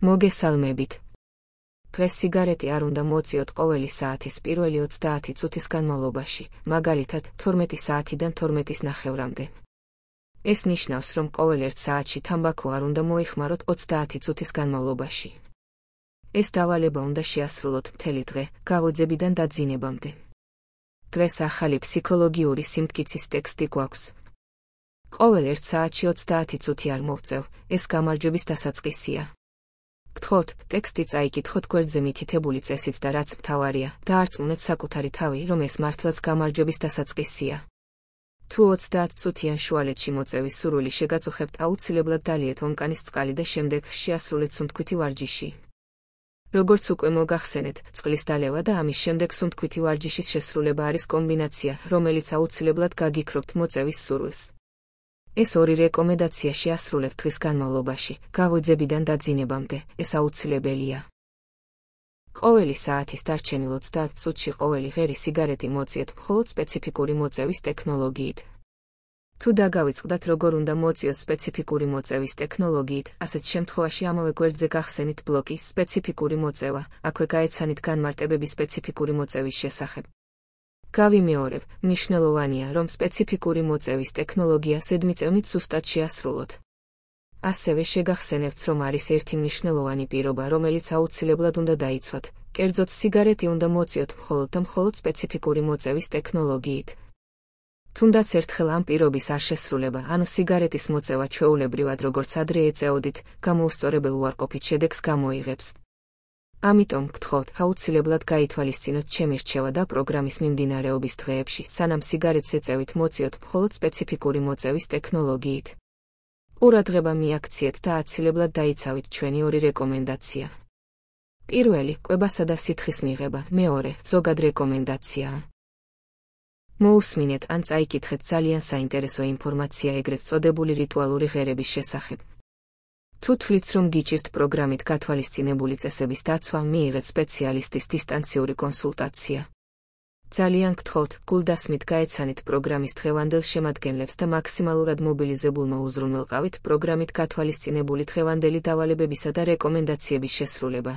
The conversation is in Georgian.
მოგესალმებით. დღეს სიგარეტი არ უნდა მოწიოთ ყოველი საათის პირველი 30 წუთის განმავლობაში, მაგალითად 12 საათიდან 12:30-მდე. ეს ნიშნავს, რომ ყოველ 1 საათში თამბაქო არ უნდა მოიხმაროთ 30 წუთის განმავლობაში. ეს დავალება უნდა შეასრულოთ მთელი დღე, გავოძებიდან დაძინებამდე. დღეს ახალი ფსიქოლოგიური სიმტკიცის ტექსტი გვაქვს. ყოველ 1 საათში 30 წუთი არ მოვწევ, ეს გამარჯვების დასაწყისია. გთხოვთ, ტექსტი წაიკითხოთ გვერდზე მითითებული წესით და რაც მთავარია, დაარწმუნეთ საკუთარი თავი, რომ ეს მართლაც გამარჯვების დასაწყისია. თუ 30 წუთიან შუალედში მოწევის სურვილი შეგაწუხებთ, აუცილებლად დალიეთ ონკანის წყალი და შემდეგ შეასრულეთ სუნთქვითი ვარჯიში. როგორც უკვე მოგახსენეთ, წყლის დალევა და ამის შემდეგ სუნთქვითი ვარჯიშის შესრულება არის კომბინაცია, რომელიც აუცილებლად გაგიქრობთ მოწევის სურვილს. ეს ორი რეკომენდაცია შეასრულეთ დღის განმავლობაში, გაღვიძებიდან დაძინებამდე, ეს აუცილებელია. ყოველი საათის დარჩენილ 30 წუთში ყოველი ღერი სიგარეტი მოწიეთ მხოლოდ სპეციფიკური მოწევის ტექნოლოგიით. თუ დაგავიწყდათ როგორ უნდა მოწიოთ სპეციფიკური მოწევის ტექნოლოგიით, ასეთ შემთხვევაში ამავე გვერდზე გახსენით ბლოკი სპეციფიკური მოწევა, აქვე გაეცანით განმარტებები სპეციფიკური მოწევის შესახებ. გავიმეორებ, მნიშვნელოვანია, რომ სპეციფიკური მოწევის ტექნოლოგია ზედმიწევნით სუსტად შეასრულოთ. ასევე შეგახსენებთ, რომ არის ერთი მნიშვნელოვანი პირობა, რომელიც აუცილებლად უნდა დაიცვათ, კერძოდ სიგარეტი უნდა მოწიოთ მხოლოდ და მხოლოდ სპეციფიკური მოწევის ტექნოლოგიით. თუნდაც ერთხელ ამ პირობის არ შესრულება, ანუ სიგარეტის მოწევა ჩვეულებრივად როგორც ადრე ეწეოდით, გამოუსწორებელ უარყოფით შედეგს გამოიღებს. ამიტომ გთხოვთ, აუცილებლად გაითვალისწინოთ ჩემი რჩევა და პროგრამის მიმდინარეობის დღეებში, სანამ სიგარეტს ეწევით მოწიოთ მხოლოდ სპეციფიკური მოწევის ტექნოლოგიით. ყურადღება მიაქციეთ და აცილებულად დაიცავით ჩვენი ორი რეკომენდაცია. პირველი, კვებასა და სითხის მიღება, მეორე, ზოგად რეკომენდაციაა. მოусმინეთ ან წაიკითხეთ ძალიან საინტერესო ინფორმაცია ეგრეთ წოდებული რიტუალური ღერების შესახებ. თუ თვლით, რომ გიჭირთ პროგრამით გათვალისწინებული წესების დაცვა, მიიღეთ სპეციალისტის დისტანციური კონსულტაცია. ძალიან გთხოვთ, გულდასმით გაეცანით პროგრამის დღევანდელ შემადგენლებს და მაქსიმალურად მობილიზებულმა უზრუნველყავით პროგრამით გათვალისწინებული დღევანდელი დავალებებისა და რეკომენდაციების შესრულება.